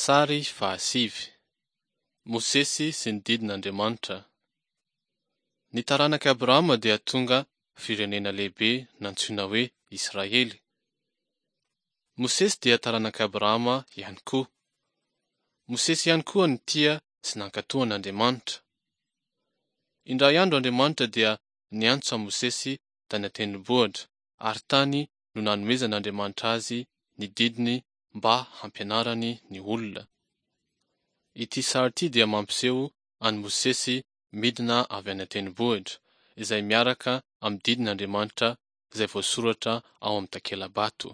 Sary fahasivy. Mosesy sy ny didin'Andriamanitra. Ny taranak'i Abrahama dia tonga firenena lehibe nantsoina hoe Israely. Mosesy dia taranak'i Abrahama ihany koa. Mosesy ihany koa nitia sy nankatò an'Andriamanitra. Indray andro Andriamanitra dia niantso an'i Mosesy tany an-tendrombohitra ary tany no nanomezan'Andriamanitra azy ny didiny mba hampianarany ny olona. Ity sary ity dia mampiseho an'i Mosesy midina avy any an-tendrombohitra, izay miaraka amin'ny didin'Andriamanitra izay voasoratra ao amin'ny takela-bato.